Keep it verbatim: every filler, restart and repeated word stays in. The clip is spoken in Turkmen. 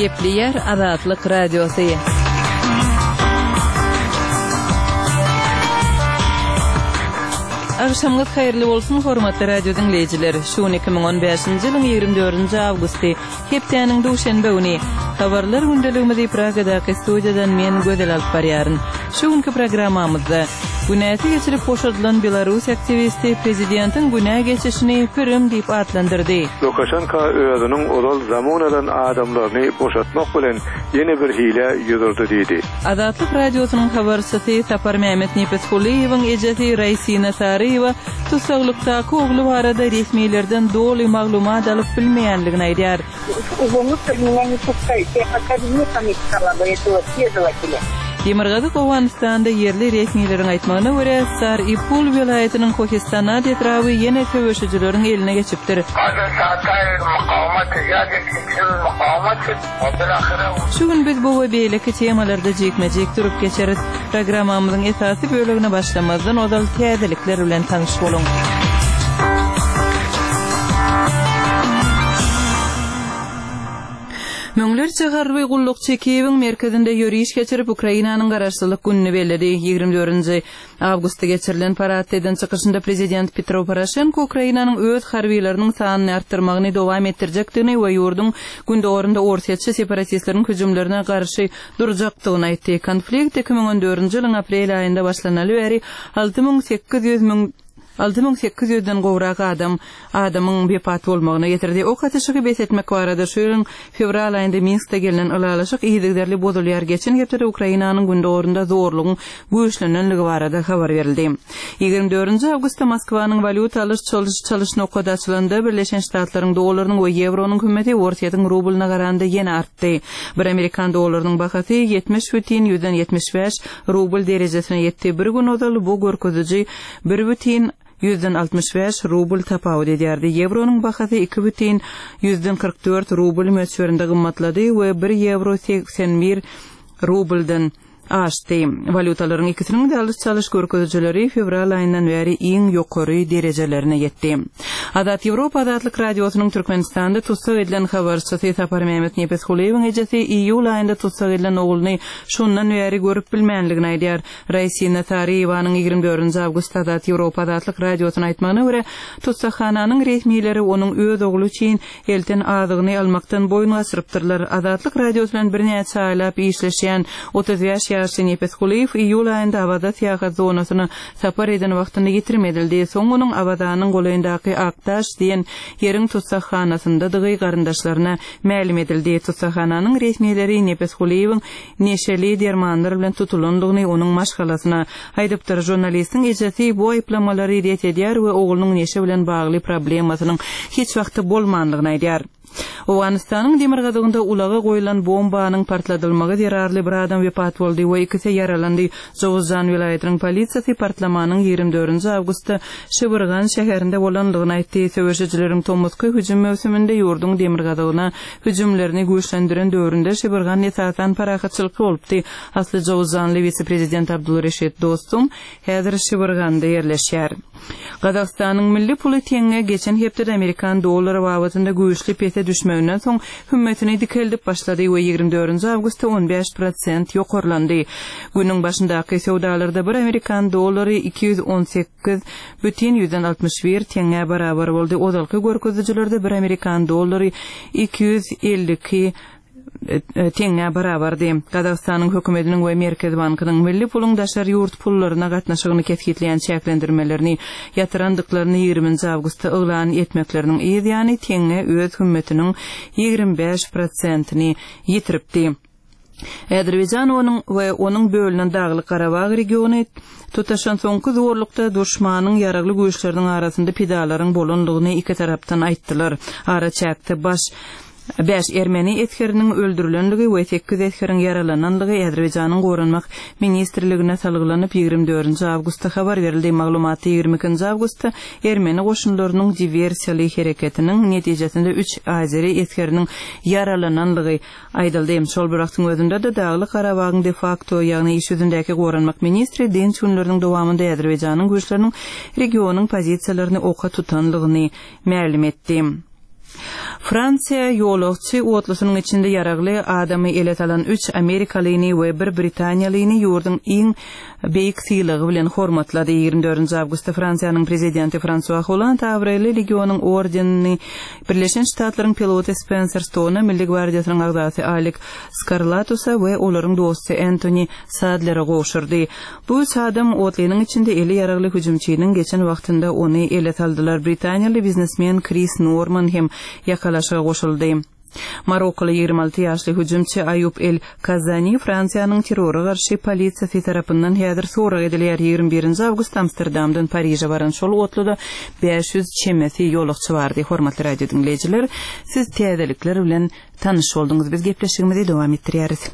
Gepleýär Azatlyk Radiosy. Agşamyňyz haýyrly bolsun, hormatly radio diňleýjiler! Şu gün iki müň on bäşinji ýylyň ýigrimi dördünji awgusty, hepdäniň duşenbe güni. Habarlar gündeligimizi Pragadaky studiýadan men Gözel alyp barýaryn. Şu günki programmamyzda, Günäsi geçilip boşadylan belarus aktiwisti prezidentiň günä geçişini pürüm diýip atlandyrdy. Lukaşenko özüniň ozal zamun alan adamlaryny boşatmak bilen ýene bir hilä ýüz urdy diýdi. Azatlyk Radiosynyň habarçysy Saparmämmet Nepesgulyýewiň ejesi Raýsina Saryýewa tussaglykdaky ogly barada resmilerden doly maglumat alyp bilmeýänligini aýdýar. Demirgazyk Owganystanda ýerli resmileriň aýtmagyna görä, Sar-i-Pul welaýatynyň Kohistanat etraby ýene söweşijileriň eline geçipdir. Şu gün biz bu we beýleki temalarda jikme-jik durup geçeris. Programmamyzyň esasy bölegine başlamazdan ozal täzelikler bilen tanyş boluň. Müňlerçe harby gullukçy Kiýewiň merkezinde ýöriş geçirip, Ukrainanyň Garaşsyzlyk gününi belledi. Ýigrimi dördünji awgustda geçirilen paradda eden çykyşynda prezident Petro Poroşenko Ukrainanyň öz harbylarynyň sanyny artdyrmagyny dowam etdirjekdigini we ýurduň gündogarynda orsýetçi separatistleriň hüjümlerine garşy durjakdygyny aýtdy. Konflikt iki müň on dördünji ýylyň aprel aýynda başlanaly bäri alty müň sekiz ýüz müň alty müň sekiz ýüzden gowrak adam adamyň wepat bolmagyna getirdi. Ok atyşygy bes etmek barada şu ýylyň fewral aýynda Minskde gelnen ylalaşyk yzygiderli bozulýar. Geçen hepdede Ukrainanyň gündogarynda zorlugyň güýçlenenligi barada habar berildi. Ýigrimi dördünji awgustda Moskwanyň walýuta alyş-çalyş çalyş nokady açylanda Birleşen Ştatlaryň dollarynyň we ýewronyň hümmeti Orsýetiň rublyna garanda ýene artdy. Bir amerikan dollarynyň bahasy ýetmiş bütin ýüzden ýetmiş bäş rubl derejesine ýetdi. Bir gün ozal bu görkeziji bir bütin ýüzden altmyş bäş rubl tapawut edýärdi. Ýewronyň bahasy iki bütin ýüzden kyrk dört rubl möçberinde gymmatlady we bir ýewro segsen bir rubldan aşdy. Walýutalaryň ikisiniň-de alyş-çalyş görkezijileri fewral aýyndan bäri iň ýokary derejelerine ýetdi. Azat Ýewropa Azatlyk Radiosynyň Türkmenistanda tussag edilen habarçysy Saparmämmet Nepesgulyýewiň ejesi iýul aýynda tussag edilen ogluny şondan bäri görüp bilmänligini aýdýar. Raýsina Saryýewanyň ýigrimi dördünji awgustda Azat Ýewropa Azatlyk Radiosyna aýtmagyna görä, tussaghananyň resmileri onuň öz ogly üçin elten azygyny almakdan boýun gaçyrypdyrlar. Azatlyk Radiosy bilen birnäçe aýlap işleşýän otuz bäş ýaşly Nepesgulyýew iýul aýynda Awaza syýahat zonasyna sapar eden wagtynda ýitirim edildi. Soň onuň Awazanyň golaýyndaky Akdaş diýen ýeriň tussaghanasyndadygy garyndaşlaryna mälim edildi. Tussaghananyň resmileri Nepesgulyýewiň neşeli dermanlar bilen tutulandygyny onuň maşgalasyna aýdypdyr. Žurnalistiň ejesi bu aýyplamalary ret edýär we oglunyň neşe bilen bagly problemasynyň hiç wagtda bolmandygyny aýdýar. Owganystanyň demirgazygynda ulaga goýlan bombanyň partladylmagy zerarly bir adam wepat boldy we ikisi ýaralandy. Jowuzjan welaýatynyň polisiýasy partlamanyň ýigrimi dördünji awgustda Şibirgan şäherinde bolandygyny aýtdy. Söweşijileriň tomusky hüjüm möwsüminde ýurduň demirgazygyna hüjümlerini güýçlendiren döwründe Şibirgan esasan parahatçylykly bolupdy. Asly Jowuzjanly wise-prezident Abdulreşid Dostum häzir Şibirganda ýerleşýär. Gazagystanyň milli puly teňňe geçen hepdede amerikan dollary babatynda güýçli pese düşmeginden soň hümmetini dikeldip başlady we ýigrimi dördünji awgustda on bäş prosent ýokarlandy. Günüň başyndaky söwdalarda bir amerikan dollary iki ýüz on sekiz bütin ýüzden altmyş bir teňňä barabar boldy. Ozalky görkezijilerde bir amerikan dollary iki ýüz elli iki teňňä barabardy. Gazagystanyň hökümetiniň we Merkez bankynyň milli puluň daşary ýurt pullaryna gatnaşygyny kesgitleýän çäklendirmelerini ýatyrandyklaryny ýigriminji awgustda yglan etmekleriniň yz ýany teňňe öz hümmetiniň ýigrimi bäş prosentini ýitiripdi. Azerbaýjan onuň we onuň bölünen Daglyk Garabag regiony tutaşan soňky zorlukda duşmanyň ýaragly güýçleriniň arasynda pidalaryň bolandygyny iki tarapdan aýtdylar. Araçäkde baş bäş ermeni esgeriniň öldürilenligi we sekiz esgeriň ýaralananlygy Azerbaýjanyň Goranmak ministrligine salgylanyp ýigrimi dördünji awgustda habar berildi. Maglumatda ýigrimi ikinji awgustda ermeni goşunlarynyň diwersiýaly hereketiniň netijesinde üç azeri esgeriniň ýaralananlygy aýdyldy. Şol bir wagtyň özünde-de Daglyk Garabagyň de facto, ýagny iş ýüzündäki Goranmak ministri dynç günleriniň dowamynda Azerbaýjanyň güýçleriniň regionyň pozisiýalaryny oka tutanlygyny mälim etdi. Fransiýa ýolagçy otlusynyň içinde ýaragly adamy ele salan üç amerikalyny we bir britaniýalyny ýurduň iň beýik sylagy bilen hormatlady. Ýigrimi dördünji awgustda Fransiýanyň prezidenti Fransua Holland abraýly legionyň ordenini Birleşen Ştatlaryň piloty Spenser Stona, Milli gwardiýasynyň agzasy Alik Skarlatusa we olaryň dosty Entoni Sadlere gowşurdy. Bu üç adam otlynyň içinde eli ýaragly hüjümçiniň geçen wagtynda ony ele saldylar. Britaniýaly biznesmen Kris Norman hem ýakalaşyga goşuldy. Marokkaly ýigrimi alty ýaşly hüjümçi Aýub El Kazani Fransiýanyň terrora garşy polisiýasy tarapyndan häzir sorag edilýär. Ýigrimi birinji awgustda Amsterdamdan Pariže baran şol otluda bäş ýüz çemesi ýolagçy bardy. Hormatly radio diňleýjiler, siz täzelikler bilen tanyş bolduňyz. Biz gepleşigimizi dowam etdirýäris.